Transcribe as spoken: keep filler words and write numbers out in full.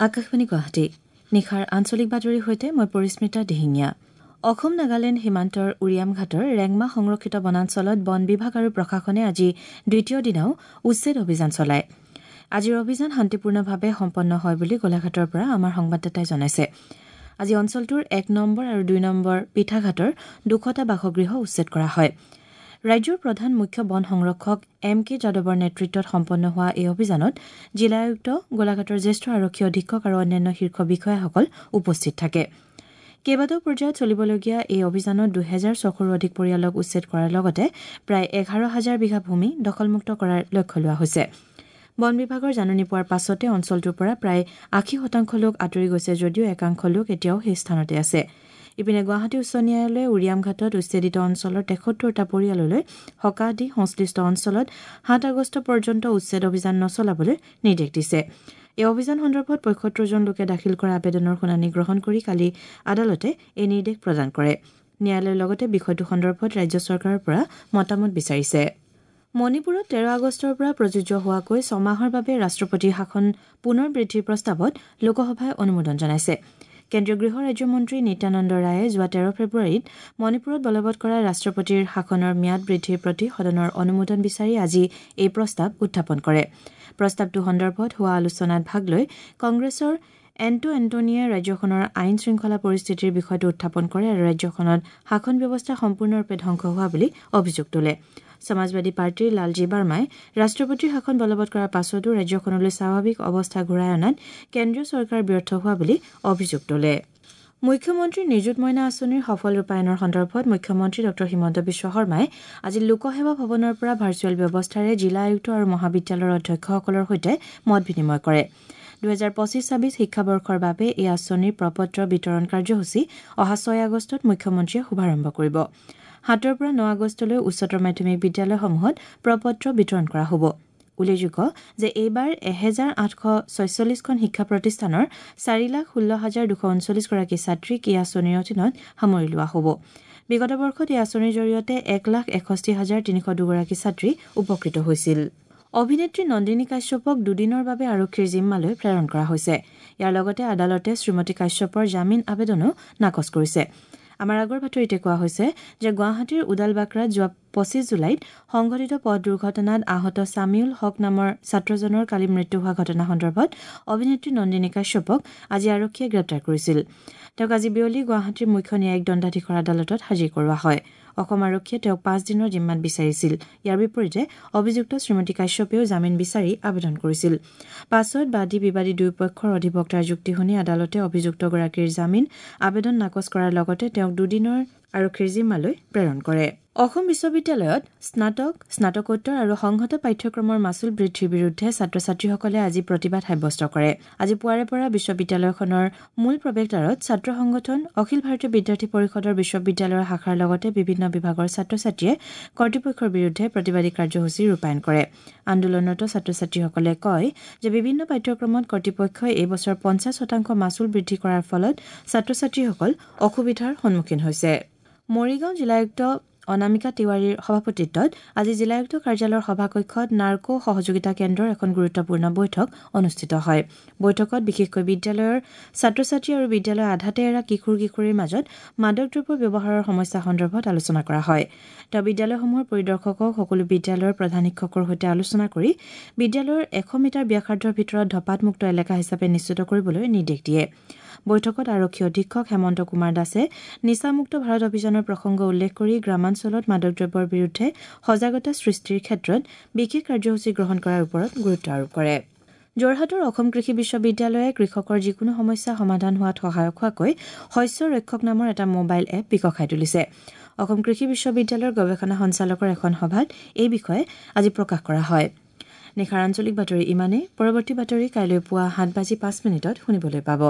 আকাশবাণী গুৱাহাটী নিশাৰ আঞ্চলিক বাতৰিৰ সৈতে মই পৰিস্মিতা দিহিঙীয়া। অসম নাগালেণ্ড সীমান্তৰ উৰিয়ামঘাটৰ ৰেংমা সংৰক্ষিত বনাঞ্চলত বন বিভাগ আৰু প্ৰশাসনে আজি দ্বিতীয় দিনাও উচ্ছেদ অভিযান চলায়। আজিৰ অভিযান শান্তিপূৰ্ণভাৱে সম্পন্ন হয় বুলি গোলাঘাটৰ পৰা আমাৰ সংবাদদাতাই জনাইছে। আজি অঞ্চলটোৰ এক নম্বৰ আৰু দুই নম্বৰ পিঠাঘাটৰ দুশটা বাসগৃহ উচ্ছেদ কৰা হয়। ৰাজ্যৰ প্ৰধান মুখ্য বন সংৰক্ষক এম কে যাদৱৰ নেতৃত্বত সম্পন্ন হোৱা এই অভিযানত জিলা আয়ুক্ত, গোলাঘাটৰ জ্যেষ্ঠ আৰক্ষী অধীক্ষক আৰু অন্যান্য শীৰ্ষ বিষয়াসকল উপস্থিত থাকে। কেইবাটাও পৰ্যায়ত চলিবলগীয়া এই অভিযানত দুহেজাৰ ছশৰো অধিক পৰিয়ালক উচ্ছেদ কৰাৰ লগতে প্ৰায় এঘাৰ হাজাৰ বিঘা ভূমি দখলমুক্ত কৰাৰ লক্ষ্য লোৱা হৈছে। বন বিভাগৰ জাননী পোৱাৰ পাছতে অঞ্চলটোৰ পৰা প্ৰায় আশী শতাংশ লোক আঁতৰি গৈছে যদিও একাংশ লোক এতিয়াও সেই স্থানতে আছে। ইপিনে গুৱাহাটী উচ্চ ন্যায়ালয়ে উৰিয়ামঘাটত উচ্ছেদিত অঞ্চলৰ তেসত্তৰটা পৰিয়াললৈ সকাহ দি সংশ্লিষ্ট অঞ্চলত সাত আগষ্ট পৰ্যন্ত উচ্ছেদ অভিযান নচলাবলৈ নিৰ্দেশ দিছে। এই অভিযান সন্দৰ্ভত পঁয়সত্তৰজন লোকে দাখিল কৰা আবেদনৰ শুনানি গ্ৰহণ কৰি কালি আদালতে এই নিৰ্দেশ প্ৰদান কৰে। ন্যায়ালয়ে লগতে বিষয়টো সন্দৰ্ভত ৰাজ্য চৰকাৰৰ পৰা মতামত বিচাৰিছে। মণিপুৰত তেৰ আগষ্টৰ পৰা প্ৰযোজ্য হোৱাকৈ ছমাহৰ বাবে ৰাষ্ট্ৰপতিৰ শাসন পুনৰ বৃদ্ধিৰ প্ৰস্তাৱত লোকসভাই অনুমোদন জনাইছে। কেন্দ্ৰীয় গৃহ ৰাজ্যমন্ত্ৰী নিত্যানন্দ ৰায়ে যোৱা তেৰ ফেব্ৰুৱাৰীত মণিপুৰত বলবৎ কৰা ৰাষ্ট্ৰপতিৰ শাসনৰ ম্যাদ বৃদ্ধিৰ প্ৰতি সদনৰ অনুমোদন বিচাৰি আজি এই প্ৰস্তাৱ উত্থাপন কৰে। প্ৰস্তাৱটো সন্দৰ্ভত হোৱা আলোচনাত ভাগ লৈ কংগ্ৰেছৰ এণ্টো এণ্টনীয়ে ৰাজ্যখনৰ আইন শৃংখলা পৰিস্থিতিৰ বিষয়টো উত্থাপন কৰে আৰু ৰাজ্যখনত শাসন ব্যৱস্থা সম্পূৰ্ণৰূপে ধ্বংস হোৱা বুলি অভিযোগ তোলে। সমাজবাদী পাৰ্টীৰ লালজী বাৰ্মাই ৰাষ্ট্ৰপতিৰ শাসন বলবৎ কৰাৰ পাছতো ৰাজ্যখনলৈ স্বাভাৱিক অৱস্থা ঘূৰাই অনাত কেন্দ্ৰীয় চৰকাৰ ব্যৰ্থ হোৱা বুলি অভিযোগ তোলে। মুখ্যমন্ত্ৰী নিযুত মইনা আঁচনিৰ সফল ৰূপায়ণৰ সন্দৰ্ভত মুখ্যমন্ত্ৰী ডঃ হিমন্ত বিশ্ব শৰ্মাই আজি লোকসেৱা ভৱনৰ পৰা ভাৰ্চুৱেল ব্যৱস্থাৰে জিলা আয়ুক্ত আৰু মহাবিদ্যালয়ৰ অধ্যক্ষসকলৰ সৈতে মত বিনিময় কৰে। দুহেজাৰ পঁচিছ ছাব্বিছ শিক্ষাবৰ্ষৰ বাবে এই আঁচনিৰ প্ৰপত্ৰ বিতৰণ কাৰ্যসূচী অহা ছয় আগষ্টত মুখ্যমন্ত্ৰীয়ে শুভাৰম্ভ কৰিব। সাতৰ পৰা ন আগষ্টলৈ উচ্চতৰ মাধ্যমিক বিদ্যালয়সমূহত প্ৰপত্ৰ বিতৰণ কৰা হ'ব। উল্লেখযোগ্য যে এইবাৰ এহেজাৰ আঠশ ছয়চল্লিছখন শিক্ষা প্ৰতিষ্ঠানৰ চাৰি লাখ ষোল্ল হাজাৰ দুশ ঊনচল্লিছগৰাকী ছাত্ৰীক এই আঁচনিৰ অধীনত সামৰি লোৱা হ'ব। বিগত বৰ্ষত এই আঁচনিৰ জৰিয়তে এক লাখ এষষ্ঠি হাজাৰ তিনিশ দুগৰাকী ছাত্ৰী উপকৃত হৈছিল। অভিনেত্ৰী নন্দিনী কাশ্যপক দুদিনৰ বাবে আৰক্ষীৰ জিম্মালৈ প্ৰেৰণ কৰা হৈছে। ইয়াৰ লগতে আদালতে শ্ৰীমতী কাশ্যপৰ জামিন আবেদনো নাকচ কৰিছে। আমাৰ আগৰ বাতৰিতে কোৱা হৈছে যে গুৱাহাটীৰ ওদালবাকৰাত যোৱা পঁচিছ জুলাইত সংঘটিত পথ দুৰ্ঘটনাত আহত ছামিউল হক নামৰ ছাত্ৰজনৰ কালি মৃত্যু হোৱা ঘটনা সন্দৰ্ভত অভিনেত্ৰী নন্দিনী কাশ্যপক আজি আৰক্ষীয়ে গ্ৰেপ্তাৰ কৰিছিল। তেওঁক আজি বিয়লি গুৱাহাটীৰ মুখ্য ন্যায়িক দণ্ডাধীশৰ আদালতত হাজিৰ কৰোৱা হয়। অসম আৰক্ষীয়ে তেওঁক পাঁচ দিনৰ জিম্মাত বিচাৰিছিল। ইয়াৰ বিপৰীতে অভিযুক্ত শ্ৰীমতী কাশ্যপেও জামিন বিচাৰি আবেদন কৰিছিল। পাছত বাদী বিবাদী দুয়োপক্ষৰ অধিবক্তাৰ যুক্তি শুনি আদালতে অভিযুক্তগৰাকীৰ জামিন আবেদন নাকচ কৰাৰ লগতে তেওঁক দুদিনৰ আৰক্ষীৰ জিম্মালৈ প্ৰেৰণ কৰে। অসম বিশ্ববিদ্যালয়ত স্নাতক, স্নাতকোত্তৰ আৰু সংহত পাঠ্যক্ৰমৰ মাচুল বৃদ্ধিৰ বিৰুদ্ধে ছাত্ৰ ছাত্ৰীসকলে আজি প্ৰতিবাদ সাব্যস্ত কৰে। আজি পুৱাৰে পৰা বিশ্ববিদ্যালয়খনৰ মূল প্ৰৱেশদ্বাৰত ছাত্ৰ সংগঠন, অখিল ভাৰতীয় বিদ্যাৰ্থী পৰিষদৰ বিশ্ববিদ্যালয়ৰ শাখাৰ লগতে বিভিন্ন বিভাগৰ ছাত্ৰ ছাত্ৰীয়ে কৰ্তৃপক্ষৰ বিৰুদ্ধে প্ৰতিবাদী কাৰ্যসূচী ৰূপায়ণ কৰে। আন্দোলনৰত ছাত্ৰ ছাত্ৰীসকলে কয় যে বিভিন্ন পাঠ্যক্ৰমত কৰ্তৃপক্ষই এই বছৰ পঞ্চাছ শতাংশ মাচুল বৃদ্ধি কৰাৰ ফলত ছাত্ৰ ছাত্ৰীসকল অসুবিধাৰ সন্মুখীন হৈছে। মৰিগাঁও জিলা আয়ুক্ত অনামিকা তিৱাৰীৰ সভাপতিত্বত আজি জিলা আয়ুক্ত কাৰ্যালয়ৰ সভাকক্ষত নাৰ্কো সহযোগিতা কেন্দ্ৰৰ এখন গুৰুত্বপূৰ্ণ বৈঠক অনুষ্ঠিত হয়। বৈঠকত বিশেষকৈ বিদ্যালয়ৰ ছাত্ৰ ছাত্ৰী আৰু বিদ্যালয়ৰ আধাতে এৰা কিশোৰ কিশোৰীৰ মাজত মাদক দ্ৰব্য ব্যৱহাৰৰ সমস্যা সন্দৰ্ভত আলোচনা কৰা হয়। তেওঁ বিদ্যালয়সমূহৰ পৰিদৰ্শকক সকলো বিদ্যালয়ৰ প্ৰধান শিক্ষকৰ সৈতে আলোচনা কৰি বিদ্যালয়ৰ এশ মিটাৰ ব্যাসাৰ্ধৰ ভিতৰত ধঁপাতমুক্ত এলেকা হিচাপে নিশ্চিত কৰিবলৈ নিৰ্দেশ দিয়ে। বৈঠকত আৰক্ষী অধীক্ষক হেমন্ত কুমাৰ দাসে নিচামুক্ত ভাৰত অভিযানৰ প্ৰসংগ উল্লেখ কৰি গ্ৰামাঞ্চলত মাদক দ্ৰব্যৰ বিৰুদ্ধে সজাগতা সৃষ্টিৰ ক্ষেত্ৰত বিশেষ কাৰ্যসূচী গ্ৰহণ কৰাৰ ওপৰত গুৰুত্ব আৰোপ কৰে। যোৰহাটৰ অসম কৃষি বিশ্ববিদ্যালয়ে কৃষকৰ যিকোনো সমস্যা সমাধান হোৱাত সহায়ক হোৱাকৈ শস্য ৰক্ষক নামৰ এটা মোবাইল এপ বিকশাই তুলিছে। অসম কৃষি বিশ্ববিদ্যালয়ৰ গৱেষণা সঞ্চালকৰ এখন সভাত এই বিষয়ে আজি প্ৰকাশ কৰা হয়। নিশাৰ আঞ্চলিক বাতৰি ইমানেই। পৰৱৰ্তী বাতৰি কাইলৈ পুৱা সাত বাজি পাঁচ মিনিটত শুনিবলৈ পাব।